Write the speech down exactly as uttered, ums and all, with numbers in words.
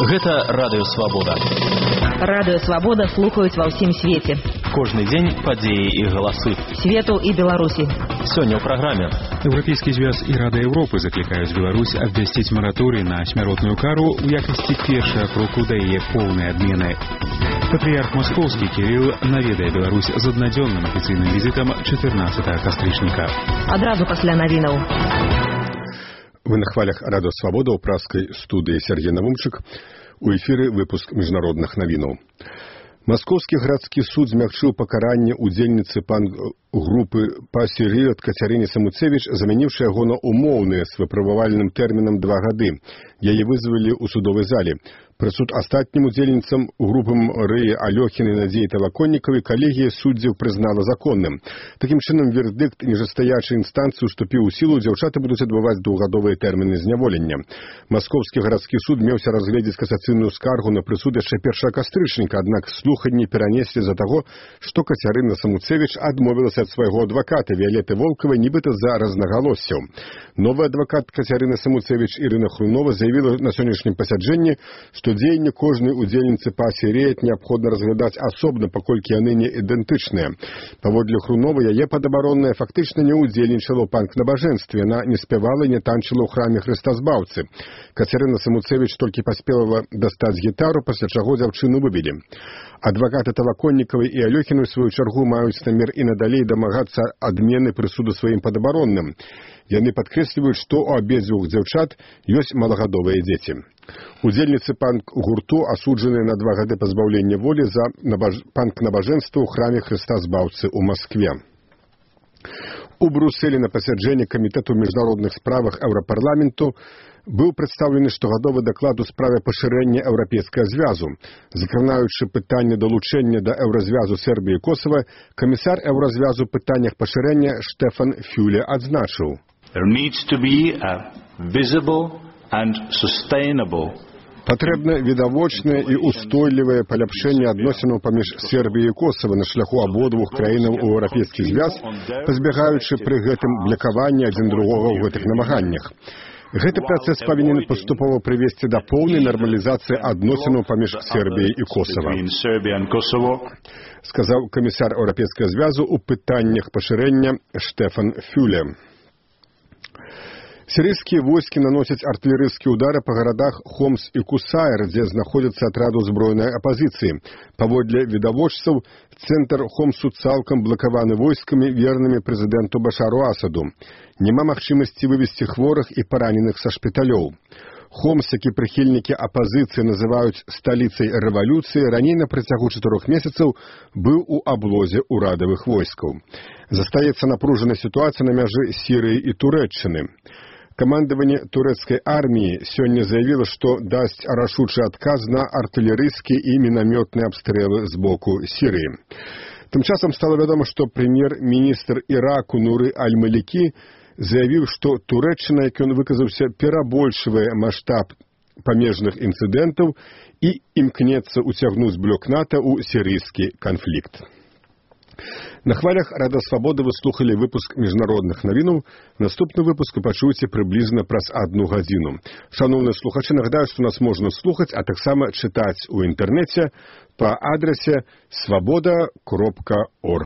Гэта Радыё Свабода. Радыё Свабода слухаюць ва ўсім свеце. Кожны дзень падзеі і галасы. Свету і Беларусі. Сёння ў праграме. Еўрапейскі звяз і Рада Еўропы заклікаюць Беларусь абвясціць мараторый на смяротную кару ў якасці першага кроку да яе поўнай адмены. Патрыярх Маскоўскі Кірыл наведае Беларусь з аднадзённым афіцыйным візітам чатырнаццатага кастрычніка. Адразу пасля навінаў. Вы на хвалях Радыё Свабода ў праскай студыі Сергей Навумчык. У эфіры выпуск міжнародных навінаў. Маскоўскі гарадскі суд змягчыў пакаранне удзельніцы пан-групы «Пасірыёд» Кацярыне Самуцевіч, замяніўшы яго на умоўныя з выпрабавальным тэрмінам два гады. Яе вызвалі ў судовай зале. Прысуд астатнім удзельніцам групам Рыі Алёхіны і Надзеі Талаконнікавай калегія суддзяў прызнала законным. Такім чынам, вердыкт ніжастаячай інстанцыі уступіў у сілу, дзяўчаты будуць адбываць двухгадовыя тэрміны зняволення. Маскоўскі гарадскі суд меўся разгледзець касацыйную скаргу на прысуд яшчэ першага кастрычніка, аднак слуханні перанеслі з-за таго, што Кацярына Самуцевіч адмовілася ад свайго адваката Віялеты Волкавай нібыта за рознагалоссяў. Новы адвакат Кацярыны Самуцевіч Ірына Хрунова заявіла на сённяшнім пасяджэнні, што дзеянні кожнай удзельніцы «Пасірыёд» неабходна разглядаць асобна, паколькі яны не ідэнтычныя. Паводле Хруновай, яе падабаронная фактычна не удзельнічала ў панк-набажэнстве, яна не спявала і не танчыла ў храме Хрыстазбаўцы. Кацярына Самуцевіч толькі паспела дастаць гітару, пасля чаго дзяўчыну выбілі. Адвакаты Талаконнікавай і Алёхіны, ў сваю чаргу, маюць намер і надалей дамагацца адмены прысуду сваім падабаронным. Яны падкрэсліваюць, што ў абедзвюх дзяўчат ёсць малагадовыя дзеці. Удзельніцы панк-гурту асуджаныя на два гады пазбаўлення волі за набаж... панк-набажэнства ў храме Хрыстазбаўцы ў Маскве. У Брусэлі на пасяджэнні камітэту міжнародных справах Еўрапарламенту быў прадстаўлены штогадовы даклад у справе пашырэння Еўрапейскага звязу. Закранаючы пытанне далучэння да еўразвязу Сербіі і Косава, камісар еўразвязу ў пытаннях пашырэння Штефан Фюле адзначыў: There needs to be a visible and sustainable Патрэбна відавочнае і устойлівае паляпшэнне адносінаў паміж Сербіяй і Косава на шляху абодвух краінаў у еўрапейскі звяз, пазбягаючы пры гэтым блакавання адзін другога ў гэтых намаганнях. Гэты працэс павінен паступова прывесці да поўнай нармалізацыі адносінаў паміж Сербіяй і Косава, сказаў камісар Еўрапейскага звязу ў пытаннях пашырэння Штефан Фюле. Сірыйскія войскі наносяць артылерыйскія ўдары па гарадах Хомс і Кусайр, дзе знаходзяцца атрады ўзброенай апазіцыі. Паводле відавочцаў, цэнтр Хомсу цалкам блакаваны войскамі, вернымі прэзідэнту Башару Асаду. Няма магчымасці вывезці хворых і параненых са шпіталёў. Хомс, які прыхільнікі апазіцыі называюць сталіцай рэвалюцыі, раней на працягу чатырох месяцаў быў у аблозе ўрадавых войскаў. Застаецца напружаная сітуацыя на мяжы Сірыі і Турэччыны. Камандаванне турэцкай арміі сёння заявіла, што дасць рашучы адказ на артылерыйскія і мінамётныя абстрэлы з боку Сірыі. Тым часам стала вядома, што прэм'ер-міністр Іраку Нуры Аль-Малікі заявіў, што Турэччына, як ён выказаўся, перабольшвае маштаб памежных інцыдэнтаў і імкнецца ўцягнуць блок НАТО ў сірыйскі канфлікт. На хвалях Рада Свабоды вы слухалі выпуск міжнародных навінаў. Наступны выпуск вы пачуеце прыблізна праз адну гадзіну. Шаноўныя слухачы, нагадаю, што нас можна слухаць, а таксама чытаць у інтэрнэце па адрасе свабода кропка орг.